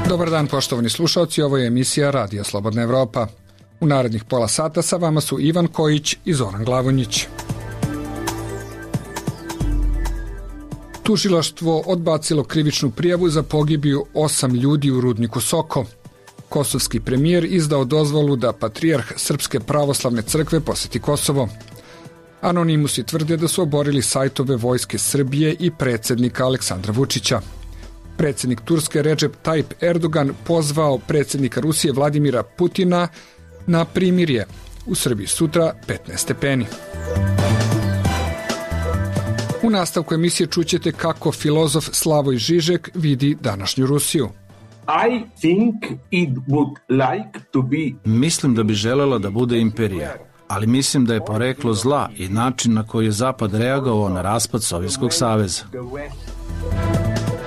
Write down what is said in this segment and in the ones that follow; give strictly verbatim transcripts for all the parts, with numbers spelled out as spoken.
Dobar dan, poštovani slušalci, ovo je emisija Radija Slobodna Evropa. U narednih pola sata sa vama su Ivan Kojić i Zoran Glavonjić. Tužilaštvo odbacilo krivičnu prijavu za pogibiju osam ljudi u rudniku Soko. Kosovski premijer izdao dozvolu da patrijarh Srpske pravoslavne crkve poseti Kosovo. Anonimusi tvrde da su oborili sajtove Vojske Srbije i predsjednika Aleksandra Vučića. Predsjednik Turske Recep Tayyip Erdogan pozvao predsjednika Rusije Vladimira Putina na primirje. U Srbiji sutra petnaest stepeni. U nastavku emisije čućete kako filozof Slavoj Žižek vidi današnju Rusiju. I think it would like to be... Mislim da bi želela da bude imperija, ali mislim da je poreklo zla i način na koji je Zapad reagovao na raspad Sovjetskog saveza.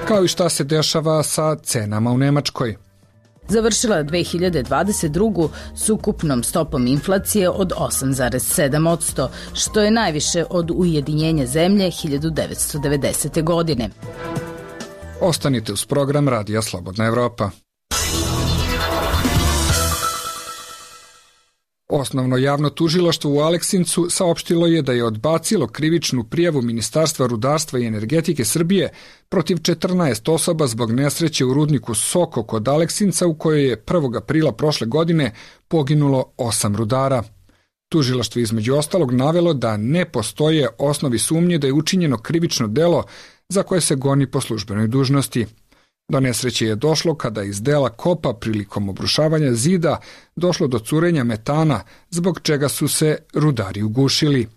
Kao i šta se dešava sa cenama u Nemačkoj. Završila dve hiljade dvadeset drugu s ukupnom stopom inflacije od osam zarez sedam posto, što je najviše od ujedinjenja zemlje hiljadu devetsto devedesete. godine. Ostanite uz program Radija Slobodna Evropa. Osnovno javno tužilaštvo u Aleksincu saopštilo je da je odbacilo krivičnu prijavu Ministarstva rudarstva i energetike Srbije protiv četrnaest osoba zbog nesreće u rudniku Soko kod Aleksinca u kojoj je prvog aprila prošle godine poginulo osam rudara. Tužilaštvo između ostalog navelo da ne postoje osnovi sumnje da je učinjeno krivično delo za koje se goni po službenoj dužnosti. Do nesreće je došlo kada iz dela kopa prilikom obrušavanja zida došlo do curenja metana, zbog čega su se rudari ugušili.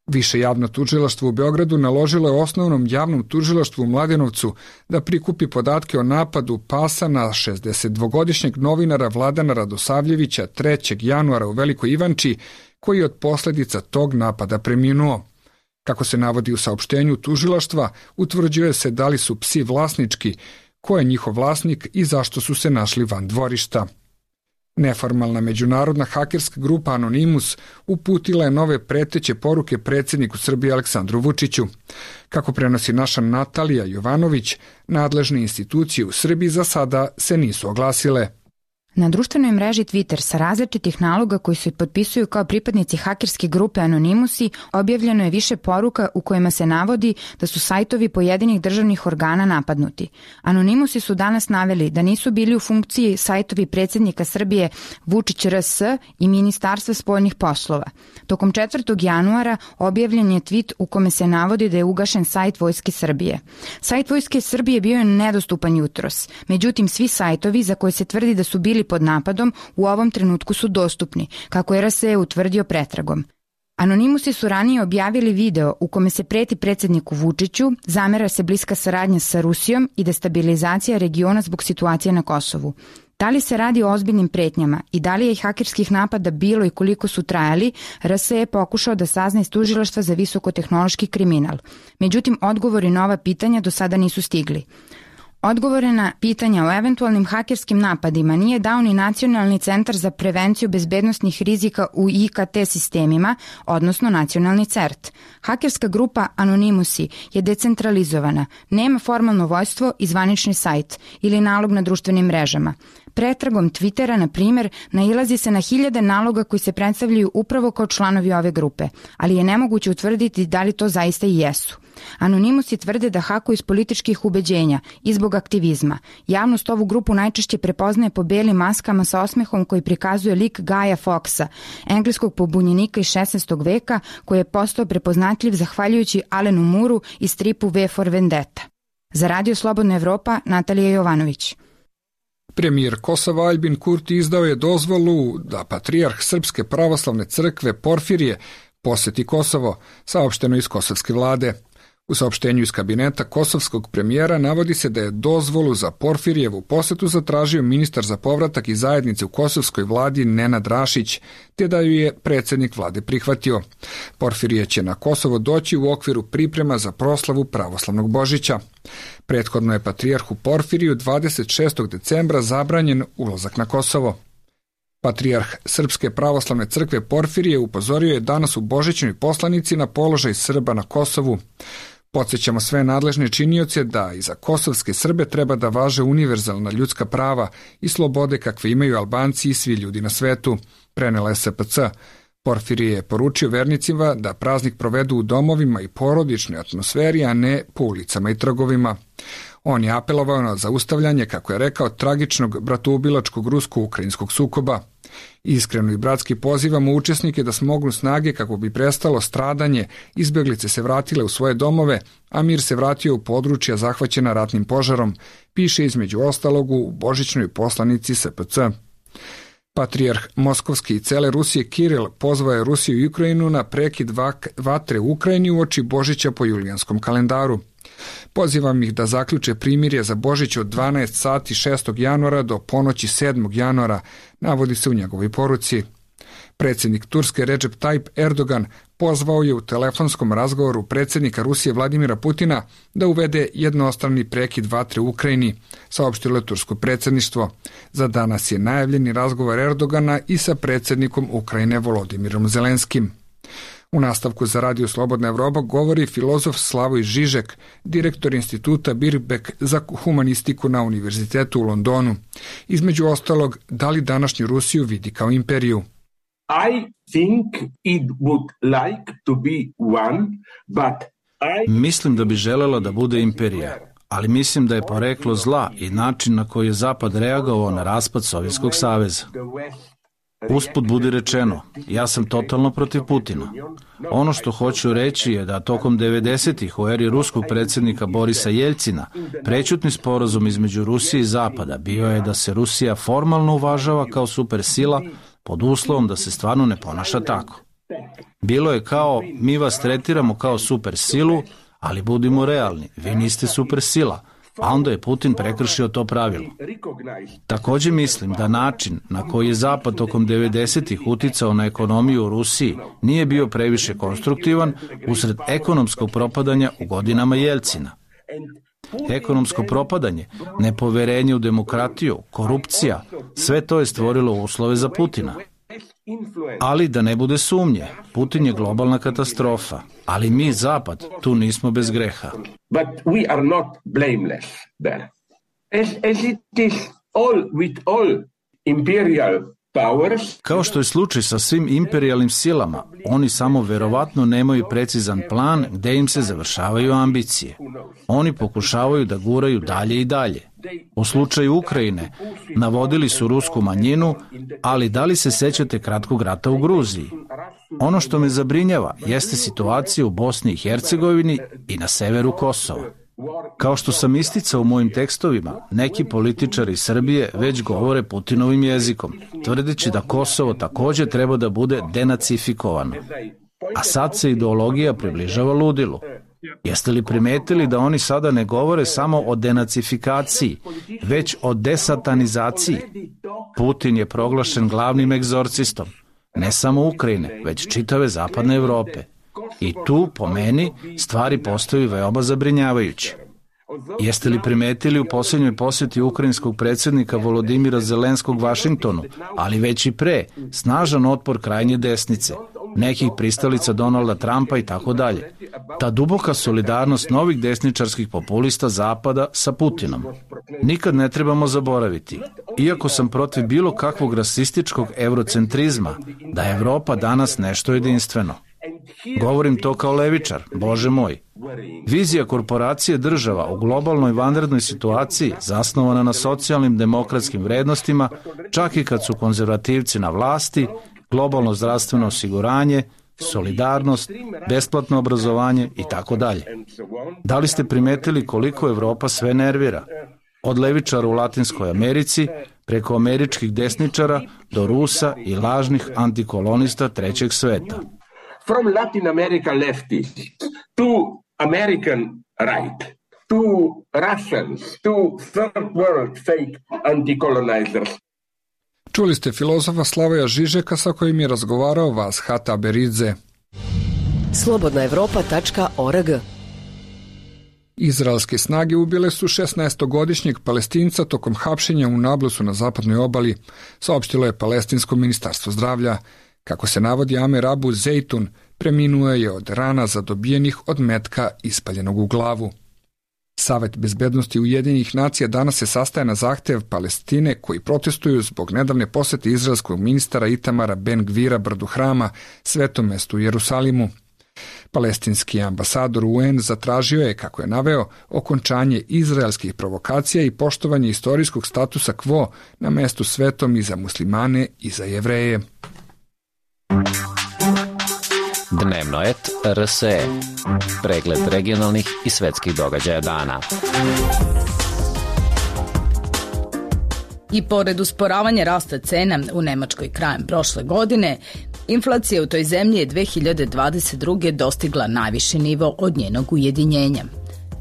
Više javno tužilaštvo u Beogradu naložilo je osnovnom javnom tužilaštvu u Mladenovcu da prikupi podatke o napadu pasa na šezdesetdvogodišnjeg novinara Vladana Radosavljevića trećeg januara u Velikoj Ivanči, koji je od posljedica tog napada preminuo. Kako se navodi u saopštenju tužilaštva, utvrđuje se da li su psi vlasnički, ko je njihov vlasnik i zašto su se našli van dvorišta. Neformalna međunarodna hakerska grupa Anonimus uputila je nove preteće poruke predsjedniku Srbije Aleksandru Vučiću. Kako prenosi naša Natalija Jovanović, nadležne institucije u Srbiji za sada se nisu oglasile. Na društvenoj mreži Twitter sa različitih naloga koji se potpisuju kao pripadnici hakerske grupe Anonimusi objavljeno je više poruka u kojima se navodi da su sajtovi pojedinih državnih organa napadnuti. Anonimusi su danas naveli da nisu bili u funkciji sajtovi predsjednika Srbije Vučić R S i Ministarstva spoljnih poslova. Tokom četvrtog januara objavljen je tweet u kome se navodi da je ugašen sajt Vojske Srbije. Sajt Vojske Srbije bio je nedostupan jutros, međutim svi sajtovi za koje se tvrdi da su bili pod napadom u ovom trenutku su dostupni, kako je R S E utvrdio pretragom. Anonimusi su ranije objavili video u kome se preti predsjedniku Vučiću, zamera se bliska saradnja sa Rusijom i destabilizacija regiona zbog situacije na Kosovu. Da li se radi o ozbiljnim pretnjama i da li je hakerskih napada bilo i koliko su trajali, R S E je pokušao da sazna iz tužilaštva za visokotehnološki kriminal. Međutim, odgovori na ova pitanja do sada nisu stigli. Odgovore na pitanja o eventualnim hakerskim napadima nije dao ni Nacionalni centar za prevenciju bezbednosnih rizika u I K T sistemima, odnosno Nacionalni C E R T. Hakerska grupa Anonimusi je decentralizovana, nema formalno vojstvo i zvanični sajt ili nalog na društvenim mrežama. Pretragom Twittera, na primjer, nailazi se na hiljade naloga koji se predstavljaju upravo kao članovi ove grupe, ali je nemoguće utvrditi da li to zaista i jesu. Anonimusi tvrde da hakuju iz političkih ubeđenja i zbog aktivizma. Javnost ovu grupu najčešće prepoznaje po belim maskama sa osmehom koji prikazuje lik Gaja Foxa, engleskog pobunjenika iz šesnaestog veka koji je postao prepoznatljiv zahvaljujući Alenu Mooru i stripu V for Vendetta. Za Radio Slobodna Evropa, Natalija Jovanović. Premijer Kosova Aljbin Kurti izdao je dozvolu da patrijarh Srpske pravoslavne crkve Porfirije poseti Kosovo, saopšteno iz kosovske vlade. U saopštenju iz kabineta kosovskog premijera navodi se da je dozvolu za Porfirijevu posetu zatražio ministar za povratak i zajednice u kosovskoj vladi Nenad Rašić, te da ju je predsjednik vlade prihvatio. Porfirije će na Kosovo doći u okviru priprema za proslavu pravoslavnog Božića. Prethodno je patrijarhu Porfiriju dvadeset šestog decembra zabranjen ulazak na Kosovo. Patrijarh Srpske pravoslavne crkve Porfirije upozorio je danas u božićnoj poslanici na položaj Srba na Kosovu. Podsjećamo sve nadležne činioce da i za kosovske Srbe treba da važe univerzalna ljudska prava i slobode kakve imaju Albanci i svi ljudi na svetu, prenela S P C. Porfirije je poručio vernicima da praznik provedu u domovima i porodičnoj atmosferi, a ne po ulicama i trgovima. On je apelovao na zaustavljanje, kako je rekao, tragičnog bratoubilačkog rusko-ukrajinskog sukoba. Iskreno i bratski pozivamo učesnike da smognu snage kako bi prestalo stradanje, izbeglice se vratile u svoje domove, a mir se vratio u područja zahvaćena ratnim požarom, piše između ostalog u božićnoj poslanici S P C. Patrijarh Moskovski i cele Rusije Kiril pozvao je Rusiju i Ukrajinu na prekid vatre u Ukrajini uoči Božića po julijanskom kalendaru. Pozivam ih da zaključe primirje za Božić od dvanaest sati šestog januara do ponoći sedmog januara, navodi se u njegovoj poruci. Predsjednik Turske Recep Tayyip Erdogan pozvao je u telefonskom razgovoru predsjednika Rusije Vladimira Putina da uvede jednostrani prekid vatre u Ukrajini, saopštilo je tursko predsjedništvo. Za danas je najavljeni razgovor Erdogana i sa predsjednikom Ukrajine Volodimirom Zelenskim. U nastavku za Radio Slobodna Evropa govori filozof Slavoj Žižek, direktor instituta Birkbeck za humanistiku na Univerzitetu u Londonu. Između ostalog, da li današnju Rusiju vidi kao imperiju? I think it would like to be one, but I... Mislim da bi želela da bude imperija, ali mislim da je poreklo zla i način na koji je Zapad reagovao na raspad Sovjetskog saveza. Usput budi rečeno, ja sam totalno protiv Putina. Ono što hoću reći je da tokom devedesetih u eri ruskog predsjednika Borisa Jeljcina prećutni sporazum između Rusije i Zapada bio je da se Rusija formalno uvažava kao supersila pod uslovom da se stvarno ne ponaša tako. Bilo je kao, mi vas tretiramo kao supersilu, ali budimo realni, vi niste supersila, a onda je Putin prekršio to pravilo. Također mislim da način na koji je Zapad tokom devedesetih uticao na ekonomiju u Rusiji nije bio previše konstruktivan usred ekonomskog propadanja u godinama Jeljcina. Ekonomsko propadanje, nepoverenje u demokratiju, korupcija, sve to je stvorilo uslove za Putina. Ali da ne bude sumnje, Putin je globalna katastrofa, ali mi, Zapad, tu nismo bez greha. But we are not blameless there. As, as it is all with all imperial powers. Kao što je slučaj sa svim imperijalnim silama, oni samo verovatno nemaju precizan plan gde im se završavaju ambicije. Oni pokušavaju da guraju dalje i dalje. U slučaju Ukrajine navodili su rusku manjinu, ali da li se sećate kratkog rata u Gruziji? Ono što me zabrinjava jeste situacija u Bosni i Hercegovini i na severu Kosova. Kao što sam isticao u mojim tekstovima, neki političari Srbije već govore Putinovim jezikom, tvrdeći da Kosovo također treba da bude denacifikovano. A sad se ideologija približava ludilu. Jeste li primetili da oni sada ne govore samo o denacifikaciji, već o desatanizaciji? Putin je proglašen glavnim egzorcistom, ne samo Ukrajine, već čitave zapadne Evrope. I tu, po meni, stvari postaju veoma zabrinjavajuće. Jeste li primetili u posljednjoj posjeti ukrajinskog predsjednika Volodimira Zelenskog Vašingtonu, ali već i pre, snažan otpor krajnje desnice, nekih pristalica Donalda Trumpa i tako dalje. Ta duboka solidarnost novih desničarskih populista Zapada sa Putinom. Nikad ne trebamo zaboraviti, iako sam protiv bilo kakvog rasističkog eurocentrizma, da je Evropa danas nešto jedinstveno. Govorim to kao levičar, Bože moj. Vizija korporacije država u globalnoj vanrednoj situaciji zasnovana na socijalnim demokratskim vrednostima, čak i kad su konzervativci na vlasti, globalno zdravstveno osiguranje, solidarnost, besplatno obrazovanje i tako dalje. Da li ste primetili koliko Evropa sve nervira? Od levičara u Latinskoj Americi, preko američkih desničara do Rusa i lažnih antikolonista trećeg sveta. From Latin America leftists to American right, to Russians, to third world fake anti-colonizers. Čuli ste filozofa Slavoja Žižeka sa kojim je razgovarao Vashat Aberidze. slobodna evropa tačka org. Izraelske snage ubile su šesnaestogodišnjeg Palestinca tokom hapšenja u Nablusu na zapadnoj obali, saopštilo je Palestinsko ministarstvo zdravlja. Kako se navodi Amer Abu Zeitun, preminuo je od rana zadobijenih od metka ispaljenog u glavu. Savet bezbednosti Ujedinjenih nacija danas se sastaje na zahtev Palestine koji protestuju zbog nedavne posete izraelskog ministara Itamara Ben Gvira brdu Hrama, svetom mestu u Jerusalimu. Palestinski ambasador U N zatražio je, kako je naveo, okončanje izraelskih provokacija i poštovanje istorijskog statusa quo na mestu svetom i za muslimane i za Jevreje. Dnevno et R S E. Pregled regionalnih i svetskih događaja dana. I pored usporavanja rasta cena u Nemačkoj krajem prošle godine, inflacija u toj zemlji je dve hiljade dvadeset druge dostigla najviši nivo od njenog ujedinjenja.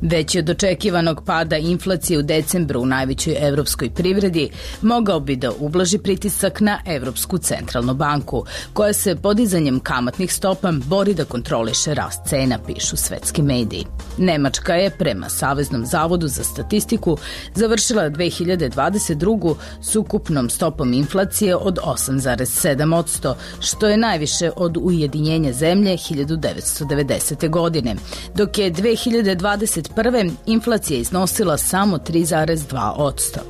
Veći od očekivanog pada inflacije u decembru u najvećoj evropskoj privredi mogao bi da ublaži pritisak na Evropsku centralnu banku, koja se podizanjem kamatnih stopa bori da kontroliše rast cena, pišu svetski mediji. Nemačka je, prema Saveznom zavodu za statistiku, završila dve hiljade dvadeset drugu s ukupnom stopom inflacije od osam zarez sedam posto, što je najviše od ujedinjenja zemlje hiljadu devetsto devedesete. godine, dok je dve hiljade dvadeset prve inflacija iznosila samo tri zarez dva posto.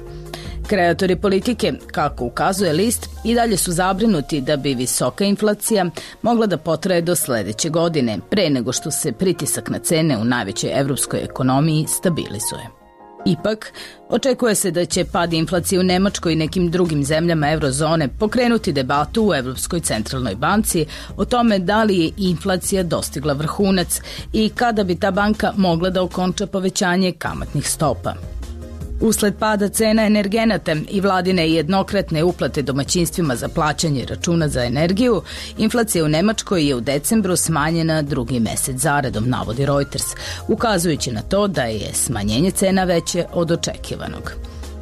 Kreatori politike, kako ukazuje list, i dalje su zabrinuti da bi visoka inflacija mogla da potraje do sledeće godine, pre nego što se pritisak na cene u najvećoj evropskoj ekonomiji stabilizuje. Ipak, očekuje se da će pad inflacije u Nemačkoj i nekim drugim zemljama eurozone pokrenuti debatu u Evropskoj centralnoj banci o tome da li je inflacija dostigla vrhunac i kada bi ta banka mogla da okonča povećanje kamatnih stopa. Usled pada cena energenata i vladine jednokratne uplate domaćinstvima za plaćanje računa za energiju, inflacija u Nemačkoj je u decembru smanjena drugi mesec zaredom, navodi Reuters, ukazujući na to da je smanjenje cena veće od očekivanog.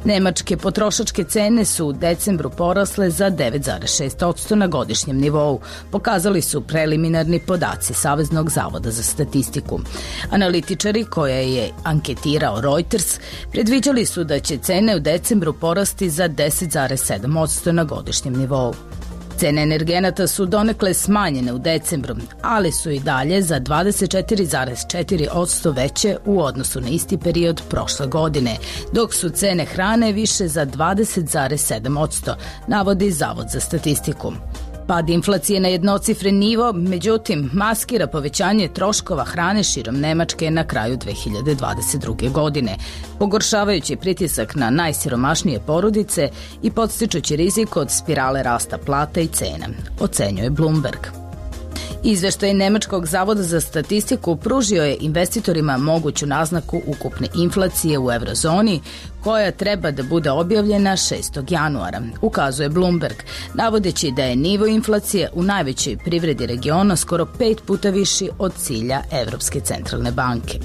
Nemačke potrošačke cene su u decembru porasle za devet zarez šest posto na godišnjem nivou, pokazali su preliminarni podaci Saveznog zavoda za statistiku. Analitičari koje je anketirao Reuters predviđali su da će cene u decembru porasti za deset zarez sedam posto na godišnjem nivou. Cene energenata su donekle smanjene u decembru, ali su i dalje za dvadeset četiri zarez četiri posto veće u odnosu na isti period prošle godine, dok su cene hrane više za dvadeset zarez sedam posto, navodi Zavod za statistiku. Pad inflacije na jednocifren nivo, međutim, maskira povećanje troškova hrane širom Nemačke na kraju dve hiljade dvadeset druge. godine, pogoršavajući pritisak na najsiromašnije porodice i podstičući rizik od spirale rasta plata i cena, ocenjuje Bloomberg. Izveštaj Nemačkog zavoda za statistiku pružio je investitorima moguću naznaku ukupne inflacije u eurozoni, koja treba da bude objavljena šestog januara, ukazuje Bloomberg, navodeći da je nivo inflacije u najvećoj privredi regiona skoro pet puta viši od cilja Evropske centralne banke.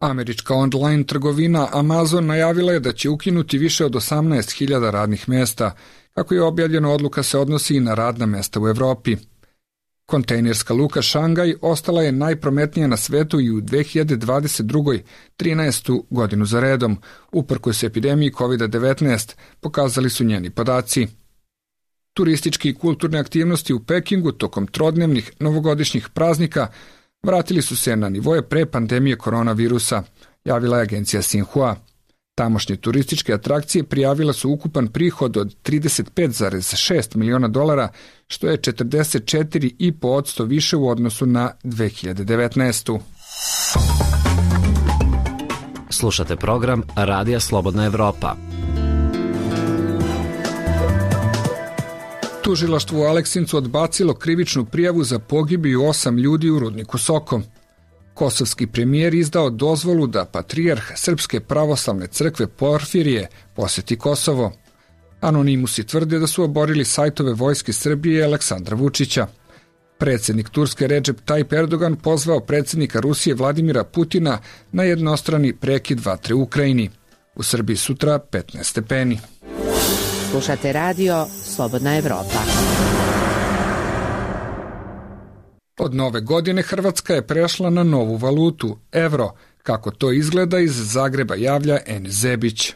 Američka online trgovina Amazon najavila je da će ukinuti više od osamnaest hiljada radnih mesta. Kako je objavljeno, odluka se odnosi i na radna mesta u Evropi. Kontejnerska luka Šangaj ostala je najprometnija na svetu i u dve hiljade dvadeset druge. trinaestu godinu za redom, uprkos epidemiji kovid devetnaest, pokazali su njeni podaci. Turistički i kulturne aktivnosti u Pekingu tokom trodnevnih novogodišnjih praznika vratili su se na nivoje pre pandemije koronavirusa, javila je agencija Xinhua. Tamošnje turističke atrakcije prijavila su ukupan prihod od trideset pet zarez šest miliona dolara, što je četrdeset četiri zarez pet posto više u odnosu na dve hiljade devetnaestu. Slušate program Radija Slobodna Evropa. Tužilaštvo u Aleksincu odbacilo krivičnu prijavu za pogibiju osam ljudi u rudniku Soko. Kosovski premijer izdao dozvolu da patrijarh Srpske pravoslavne crkve Porfirije poseti Kosovo. Anonimusi tvrde da su oborili sajtove Vojske Srbije i Aleksandra Vučića. Predsjednik Turske Recep Tayyip Erdogan pozvao predsjednika Rusije Vladimira Putina na jednostrani prekid vatre u Ukrajini. U Srbiji sutra petnaest stepeni. Slušate radio Slobodna Evropa. Od nove godine Hrvatska je prešla na novu valutu, evro, Kako to izgleda, iz Zagreba javlja Enis Zebić.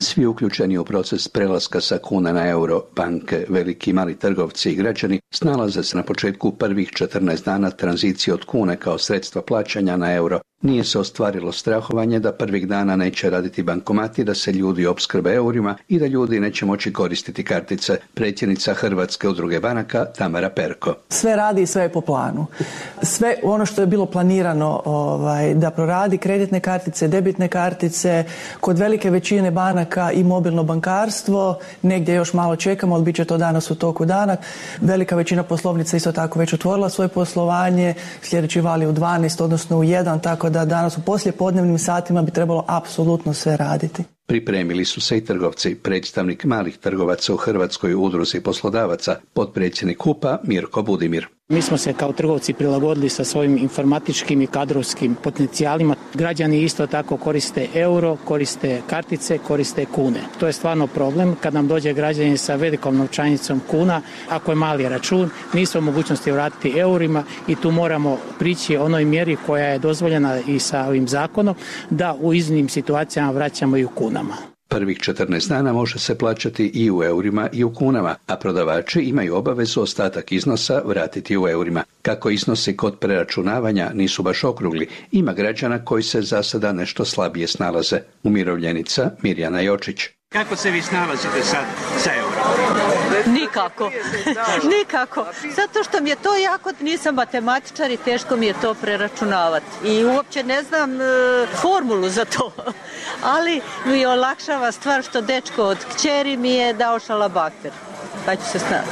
Svi uključeni u proces prelaska sa kuna na euro, banke, veliki i mali trgovci i građani, snalaze se na početku prvih četrnaest dana tranzicije od kune kao sredstva plaćanja na euro. Nije se ostvarilo strahovanje da prvih dana neće raditi bankomati, da se ljudi opskrbe eurima i da ljudi neće moći koristiti kartice. Predsjednica Hrvatske udruge banaka Tamara Perko. Sve radi i sve je po planu. Sve ono što je bilo planirano ovaj, da proradi, kreditne kartice, debitne kartice, kod velike većine banaka i mobilno bankarstvo, negdje još malo čekamo, ali bit će to danas u toku dana. Velika većina poslovnica isto tako već otvorila svoje poslovanje, sljedeći val je u dvanaest, odnosno u jedan, tako da danas u poslijepodnevnim satima bi trebalo apsolutno sve raditi. Pripremili su se i trgovci. Predstavnik malih trgovaca u Hrvatskoj udruzi poslodavaca, potpredsjednik H U P-a Mirko Budimir. Mi smo se kao trgovci prilagodili sa svojim informatičkim i kadrovskim potencijalima. Građani isto tako koriste euro, koriste kartice, koriste kune. To je stvarno problem. Kad nam dođe građanin sa velikom novčanicom kuna, ako je mali račun, nisu u mogućnosti vratiti eurima i tu moramo prići onoj mjeri koja je dozvoljena i sa ovim zakonom, da u iznimnim situacijama vraćamo i u kunama. Prvih četrnaest dana može se plaćati i u eurima i u kunama, a prodavači imaju obavezu ostatak iznosa vratiti u eurima. Kako iznosi kod preračunavanja nisu baš okrugli, ima građana koji se za sada nešto slabije snalaze. Umirovljenica Mirjana Jočić. Kako se vi snalazite sad sa eurom? Nikako, nikako, zato što mi je to jako, nisam matematičar i teško mi je to preračunavati i uopće ne znam e, formulu za to, ali mi olakšava stvar što dečko od kćeri mi je dao šalabahter, pa ću se snaći.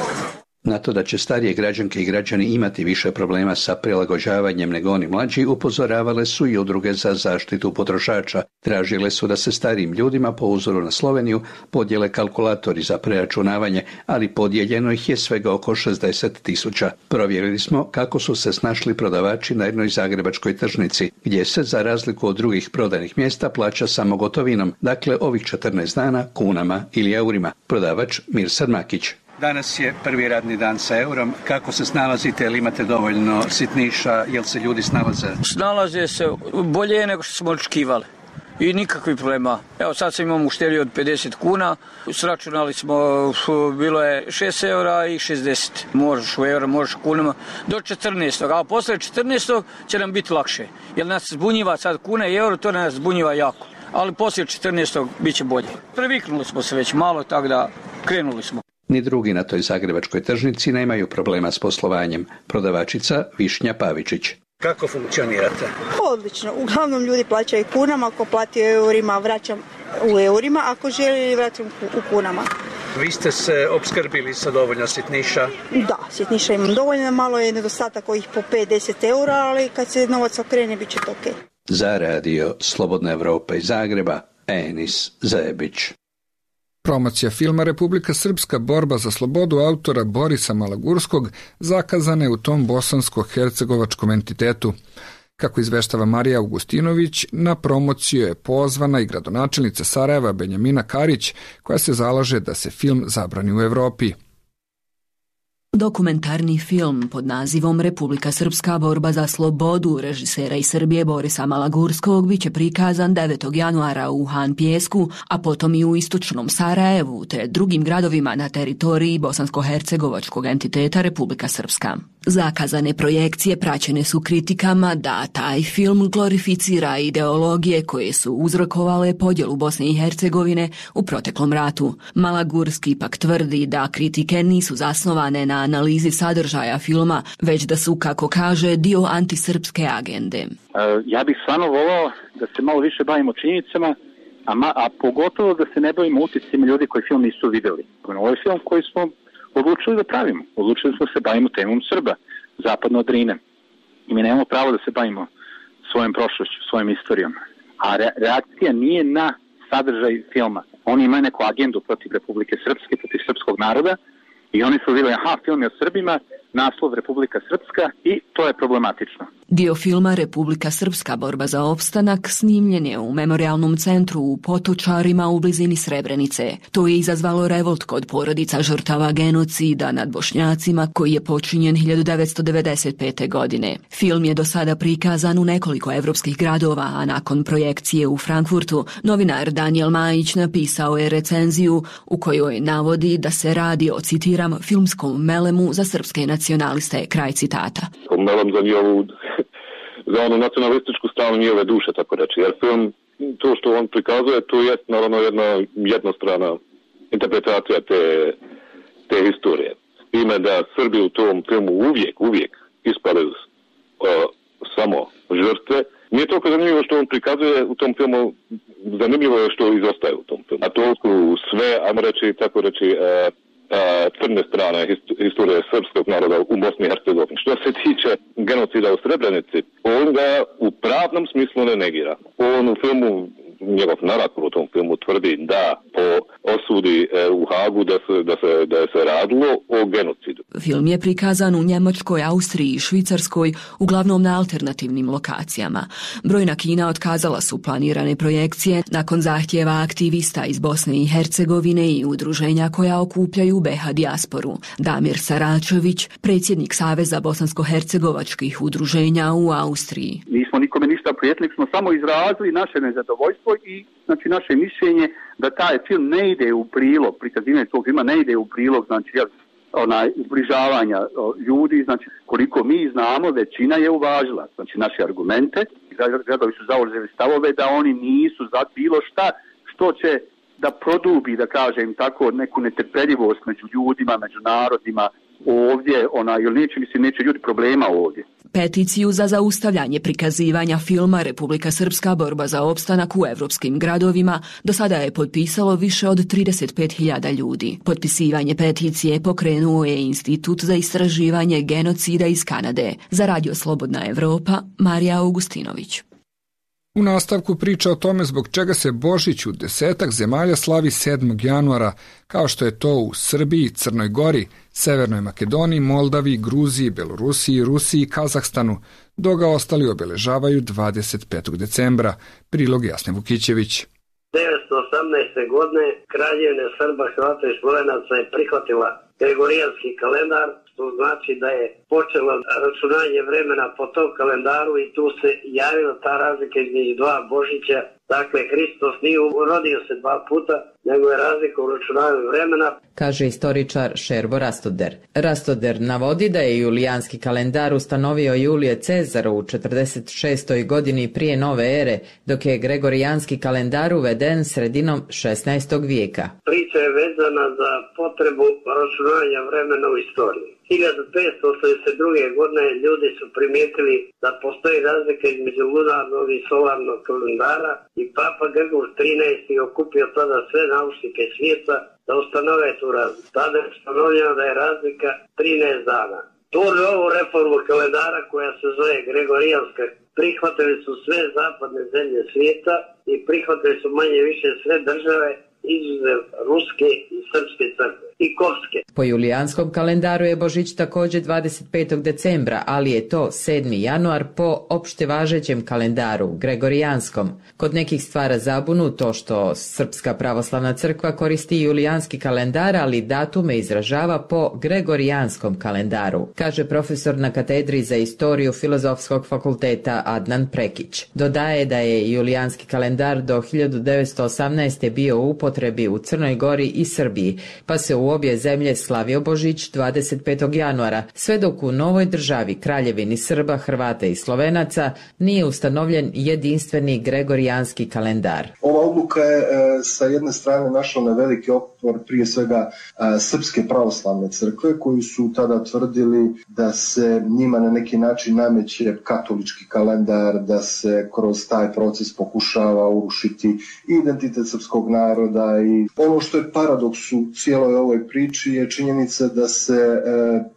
Na to da će starije građanke i građani imati više problema sa prilagođavanjem nego oni mlađi, upozoravale su i udruge za zaštitu potrošača. Tražile su da se starijim ljudima po uzoru na Sloveniju podijele kalkulatori za preračunavanje, ali podijeljeno ih je svega oko šezdeset tisuća. Provjerili smo kako su se snašli prodavači na jednoj zagrebačkoj tržnici, gdje se za razliku od drugih prodajnih mjesta plaća samo gotovinom, dakle ovih četrnaest dana kunama ili eurima. Prodavač Mirsad Makić. Danas je prvi radni dan sa eurom. Kako se snalazite? Jel imate dovoljno sitniša? Jel se ljudi snalaze? Snalaze se bolje nego što smo očekivali. I nikakvih problema. Evo sad sam imam uštedio od pedeset kuna. Sračunali smo, bilo je šest eura i šezdeset. Možeš u eura, možeš u kunama. Do četrnaestog. A posle četrnaestog će nam biti lakše. Jer nas zbunjiva sad kuna i euro, to nas zbunjiva jako. Ali poslije četrnaestog bit će bolje. Previknuli smo se već malo, tako da krenuli smo. Ni drugi na toj zagrebačkoj tržnici nemaju problema s poslovanjem. Prodavačica Višnja Pavičić. Kako funkcionirate? Odlično. Uglavnom ljudi plaćaju kunama, ako plati u eurima vraćam u eurima, ako želi vraćam u kunama. Vi ste se opskrbili sa dovoljno sitniša? Da, sitniša imam dovoljno, malo je nedostatak ovih po pet do deset eura, ali kad se novac okrene bit će to okej. Za radio Slobodna Evropa iz Zagreba, Enis Zebić. Promocija filma Republika Srpska borba za slobodu autora Borisa Malagurskog zakazana je u tom bosansko-hercegovačkom entitetu. Kako izveštava Marija Augustinović, na promociju je pozvana i gradonačelnica Sarajeva Benjamina Karić, koja se zalaže da se film zabrani u Evropi. Dokumentarni film pod nazivom Republika Srpska borba za slobodu režisera iz Srbije Borisa Malagurskog biće prikazan devetog januara u Han Pijesku, a potom i u istočnom Sarajevu te drugim gradovima na teritoriji bosansko-hercegovačkog entiteta Republika Srpska. Zakazane projekcije praćene su kritikama da taj film glorificira ideologije koje su uzrokovale podjelu Bosne i Hercegovine u proteklom ratu. Malagurski pak tvrdi da kritike nisu zasnovane na analizi sadržaja filma, već da su, kako kaže, dio antisrpske agende. Ja bih stvarno volao da se malo više bavimo činjenicama, a, ma, a pogotovo da se ne bavimo utiscima ljudi koji film nisu videli. Ovo je film koji smo odlučili da pravimo. Odlučili smo se bavimo temom Srba, zapadno od Drine. I mi nemamo pravo da se bavimo svojom prošlošću, svojom istorijom. A re, reakcija nije na sadržaj filma. Oni imaju neku agendu protiv Republike Srpske, protiv srpskog naroda i oni su vidjeli, aha, film je o Srbima, naslov Republika Srpska i to je problematično. Dio filma Republika Srpska borba za opstanak snimljen je u memorialnom centru u Potočarima u blizini Srebrenice. To je izazvalo revolt kod porodica žrtava genocida nad Bošnjacima koji je počinjen hiljadu devetsto devedeset pete. godine. Film je do sada prikazan u nekoliko evropskih gradova, a nakon projekcije u Frankfurtu, novinar Daniel Majić napisao je recenziju u kojoj navodi da se radi o, citiram, filmskom melemu za srpske nacionaliste, kraj citata. Melem za njihovu, za onu nacionalističku stranu njihove duše, tako reći, jer film, to što on prikazuje, to je naravno jedna jednostrana interpretacija te, te historije. Ime da Srbi u tom filmu uvijek, uvijek ispale uh, samo žrtve. Nije toliko zanimljivo što on prikazuje u tom filmu, zanimljivo je što izostaje u tom filmu. A to su sve, ajmo reći, tako reći, uh, crne strane historije srpskog naroda u Bosni i Hercegovini. Što se tiče genocida u Srebrenici, on ga u pravnom smislu ne negira. On u filmu, njegov narator u tom filmu tvrdi da po osudi u Hagu da se, da se, da je se radilo o genocidu. Film je prikazan u Njemačkoj, Austriji i Švicarskoj, uglavnom na alternativnim lokacijama. Brojna kina otkazala su planirane projekcije nakon zahtjeva aktivista iz Bosne i Hercegovine i udruženja koja okupljaju be ha dijasporu. Damir Saračević, predsjednik Saveza bosansko-hercegovačkih udruženja u Austriji. Nismo nikome ništa prijetili, smo samo izrazili naše nezadovoljstvo i znači naše mišljenje da taj film ne ide u prilog, prikazivanje tog filma ne ide u prilog, znači onaj zbližavanja ljudi, znači koliko mi znamo, većina je uvažila znači naše argumente, gradovi su zauzeli stavove da oni nisu za bilo šta što će da produbi, da kažem tako, neku netrpeljivost među ljudima, među narodima ovdje, ona, ili neće, mislim, neće ljudi problema ovdje. Peticiju za zaustavljanje prikazivanja filma Republika Srpska borba za opstanak u evropskim gradovima do sada je potpisalo više od trideset pet hiljada ljudi. Potpisivanje peticije pokrenuo je Institut za istraživanje genocida iz Kanade. Za Radio Slobodna Evropa, Marija Augustinović. U nastavku priča o tome zbog čega se Božić u desetak zemalja slavi sedmog januara, kao što je to u Srbiji, Crnoj Gori, Severnoj Makedoniji, Moldaviji, Gruziji, Belorusiji, Rusiji i Kazahstanu, dok ga ostali obeležavaju dvadeset petog decembra. Prilog Jasne Vukićević. devetsto osamnaeste. godine Kraljevina Srba, Hrvata i Slovenaca je prihvatila Gregorijanski kalendar, što znači da je počelo računanje vremena po tom kalendaru i tu se javila ta razlika između dva Božića. Dakle, Hristos nije rodio se dva puta, nego je razlika u računanju vremena. Kaže istoričar Šerbo Rastoder. Rastoder navodi da je julijanski kalendar ustanovio Julije Cezar u četrdeset šestoj. godini prije nove ere, dok je Gregorijanski kalendar uveden sredinom šesnaestog. vijeka. Priča je vezana za potrebu računanja vremena u istoriji. hiljadu petsto osamdeset druge. godine ljudi su primijetili da postoji razlika između lunarnog i solarnog kalendara i Papa Grgur trinaesti. okupio tada sve naučnike svijeta da ustanove tu razliku. Tada je ustanovljeno da je razlika trinaest dana. Tu ovu reformu kalendara koja se zove Gregorijanska prihvatili su sve zapadne zemlje svijeta i prihvatili su manje više sve države izuzev ruske i srpske crkve i kopske. Po julijanskom kalendaru je Božić također dvadeset petog decembra, ali je to sedmi januar po opšte važećem kalendaru, Gregorijanskom. Kod nekih stvara zabunu to što Srpska pravoslavna crkva koristi julijanski kalendar, ali datume izražava po Gregorijanskom kalendaru, kaže profesor na katedri za istoriju Filozofskog fakulteta Adnan Prekić. Dodaje da je julijanski kalendar do hiljadu devetsto osamnaeste. bio u upotrebi u Crnoj Gori i Srbiji, pa se u obje zemlje slavio Božić dvadeset petog. januara, sve dok u novoj državi Kraljevini Srba, Hrvata i Slovenaca nije ustanovljen jedinstveni gregorijanski kalendar. Ova odluka je e, sa jedne strane našla na veliki otpor prije svega e, Srpske pravoslavne crkve, koji su tada tvrdili da se njima na neki način nameće katolički kalendar, da se kroz taj proces pokušava urušiti identitet srpskog naroda. I ono što je paradoks u cijeloj ovoj priči je činjenica da se e,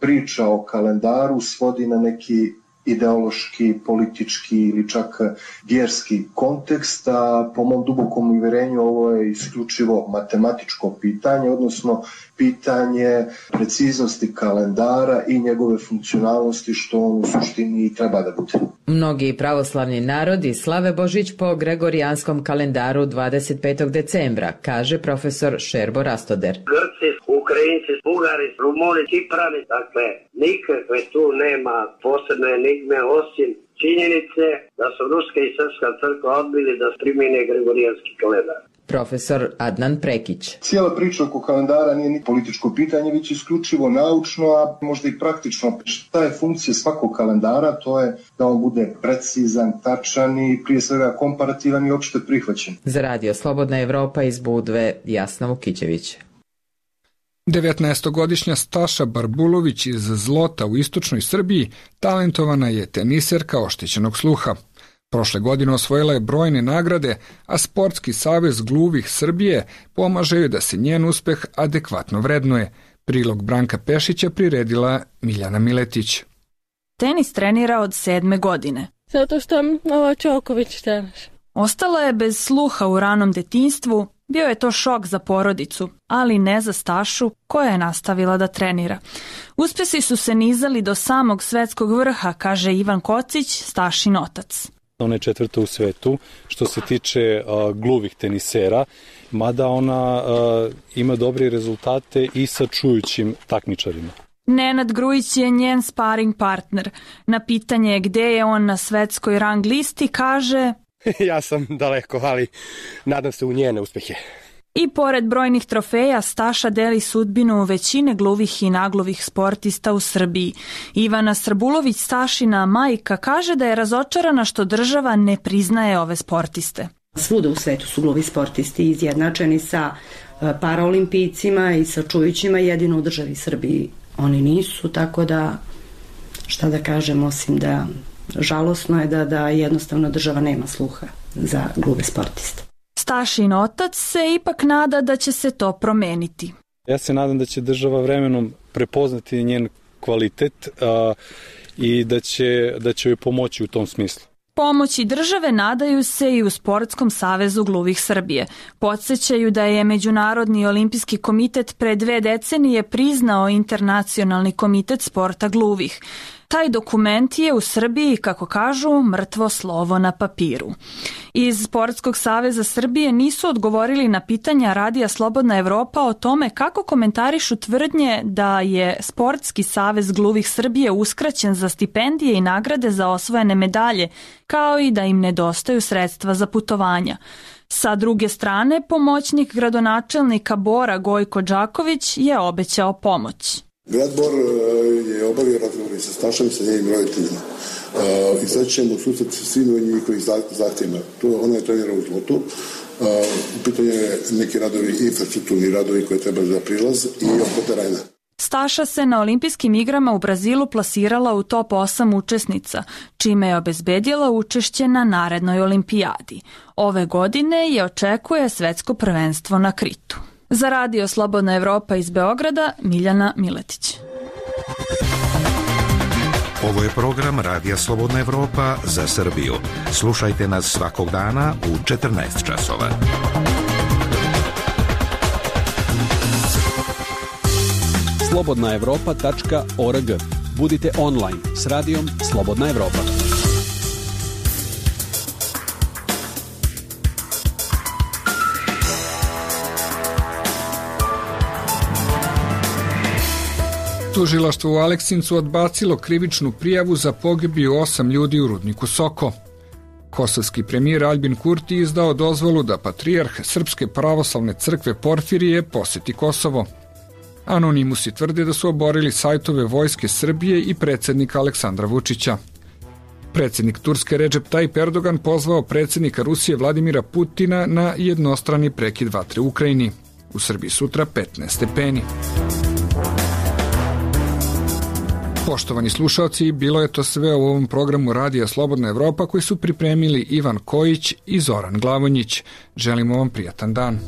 priča o kalendaru svodi na neki ideološki, politički ili čak vjerski kontekst, a po mom dubokom uvjerenju ovo je isključivo matematičko pitanje, odnosno pitanje preciznosti kalendara i njegove funkcionalnosti, što on u suštini i treba da bude. Mnogi pravoslavni narodi slave Božić po gregorijanskom kalendaru dvadeset petog decembra, kaže profesor Šerbo Rastoder. Grci, Ukrajinci, Bugari, Rumuni, Ciprani, dakle, nikakve tu nema posebne enigme osim činjenice da su ruska i srpska crkva odbili da primjene gregorijanski kalendar. Profesor Adnan Prekić. Cijela priča oko kalendara nije ni političko pitanje, već isključivo naučno, a možda i praktično. Šta je funkcija svakog kalendara? To je da on bude precizan, tačan i prije svega komparativan i opšte prihvaćen. Za radio Slobodna Evropa iz Budve, Jasna Vukićević. devetnaestogodišnja Staša Barbulović iz Zlota u istočnoj Srbiji talentovana je teniserka oštećenog sluha. Prošle godine osvojila je brojne nagrade, a Sportski savez gluvih Srbije pomaže joj da se njen uspeh adekvatno vrednuje. Prilog Branka Pešića priredila Miljana Miletić. Tenis trenira od sedme godine. Zato što ova Čoković tenis. Ostala je bez sluha u ranom detinjstvu, bio je to šok za porodicu, ali ne za Stašu koja je nastavila da trenira. Uspesi su se nizali do samog svetskog vrha, kaže Ivan Kocić, Stašin otac. Ona je četvrta u svetu što se tiče uh, gluvih tenisera, mada ona uh, ima dobre rezultate i sa čujućim takmičarima. Nenad Grujić je njen sparing partner. Na pitanje gde je on na svetskoj rang listi kaže: Ja sam daleko, ali nadam se u njene uspehe. I pored brojnih trofeja, Staša deli sudbinu većine gluvih i nagluvih sportista u Srbiji. Ivana Srbulović, Stašina majka, kaže da je razočarana što država ne priznaje ove sportiste. Svuda u svetu su gluvi sportisti izjednačeni sa paraolimpijcima i sa čujućima, jedino u državi Srbiji oni nisu, tako da šta da kažem, osim da žalosno je da, da jednostavno država nema sluha za gluve sportiste. Stašin otac se ipak nada da će se to promeniti. Ja se nadam da će država vremenom prepoznati njen kvalitet a, i da će, da će joj pomoći u tom smislu. Pomoći države nadaju se i u Sportskom savezu gluvih Srbije. Podsjećaju da je Međunarodni olimpijski komitet pre dve decenije priznao Internacionalni komitet sporta gluvih. Taj dokument je u Srbiji, kako kažu, mrtvo slovo na papiru. Iz Sportskog saveza Srbije nisu odgovorili na pitanja Radija Slobodna Evropa o tome kako komentarišu tvrdnje da je Sportski savez gluvih Srbije uskraćen za stipendije i nagrade za osvojene medalje, kao i da im nedostaju sredstva za putovanja. Sa druge strane, pomoćnik gradonačelnika Bora Gojko Đaković je obećao pomoć. Grad Bor je obavio razgovor sa Stašom i sa njenim roditeljima. I sad ćemo susret svim njihovih zahtjevima. Ona je trenira u Zlotu. U pitanju je neki radovi, infrastrukturni radovi koji treba za prilaz i oko terena. Staša se na olimpijskim igrama u Brazilu plasirala u top osam učesnica, čime je obezbedila učešće na narednoj olimpijadi. Ove godine je očekuje svetsko prvenstvo na Kritu. Za Radio Slobodna Evropa iz Beograda, Miljana Miletić. Ovo je program Radija Slobodna Evropa za Srbiju. Slušajte nas svakog dana u četrnaest časova. slobodna evropa tačka org. Budite online s radijom Slobodna Evropa. Tužilaštvo u Aleksincu odbacilo krivičnu prijavu za pogibiju osam ljudi u rudniku Soko. Kosovski premijer Aljbin Kurti izdao dozvolu da patrijarh Srpske pravoslavne crkve Porfirije poseti Kosovo. Anonimusi tvrde da su oborili sajtove Vojske Srbije i predsjednika Aleksandra Vučića. Predsjednik Turske Recep Tayyip Erdogan pozvao predsjednika Rusije Vladimira Putina na jednostrani prekid vatre u Ukrajini. U Srbiji sutra petnaest stepeni. Poštovani slušalci, bilo je to sve u ovom programu Radija Slobodna Evropa koji su pripremili Ivan Kojić i Zoran Glavonjić. Želimo vam prijatan dan.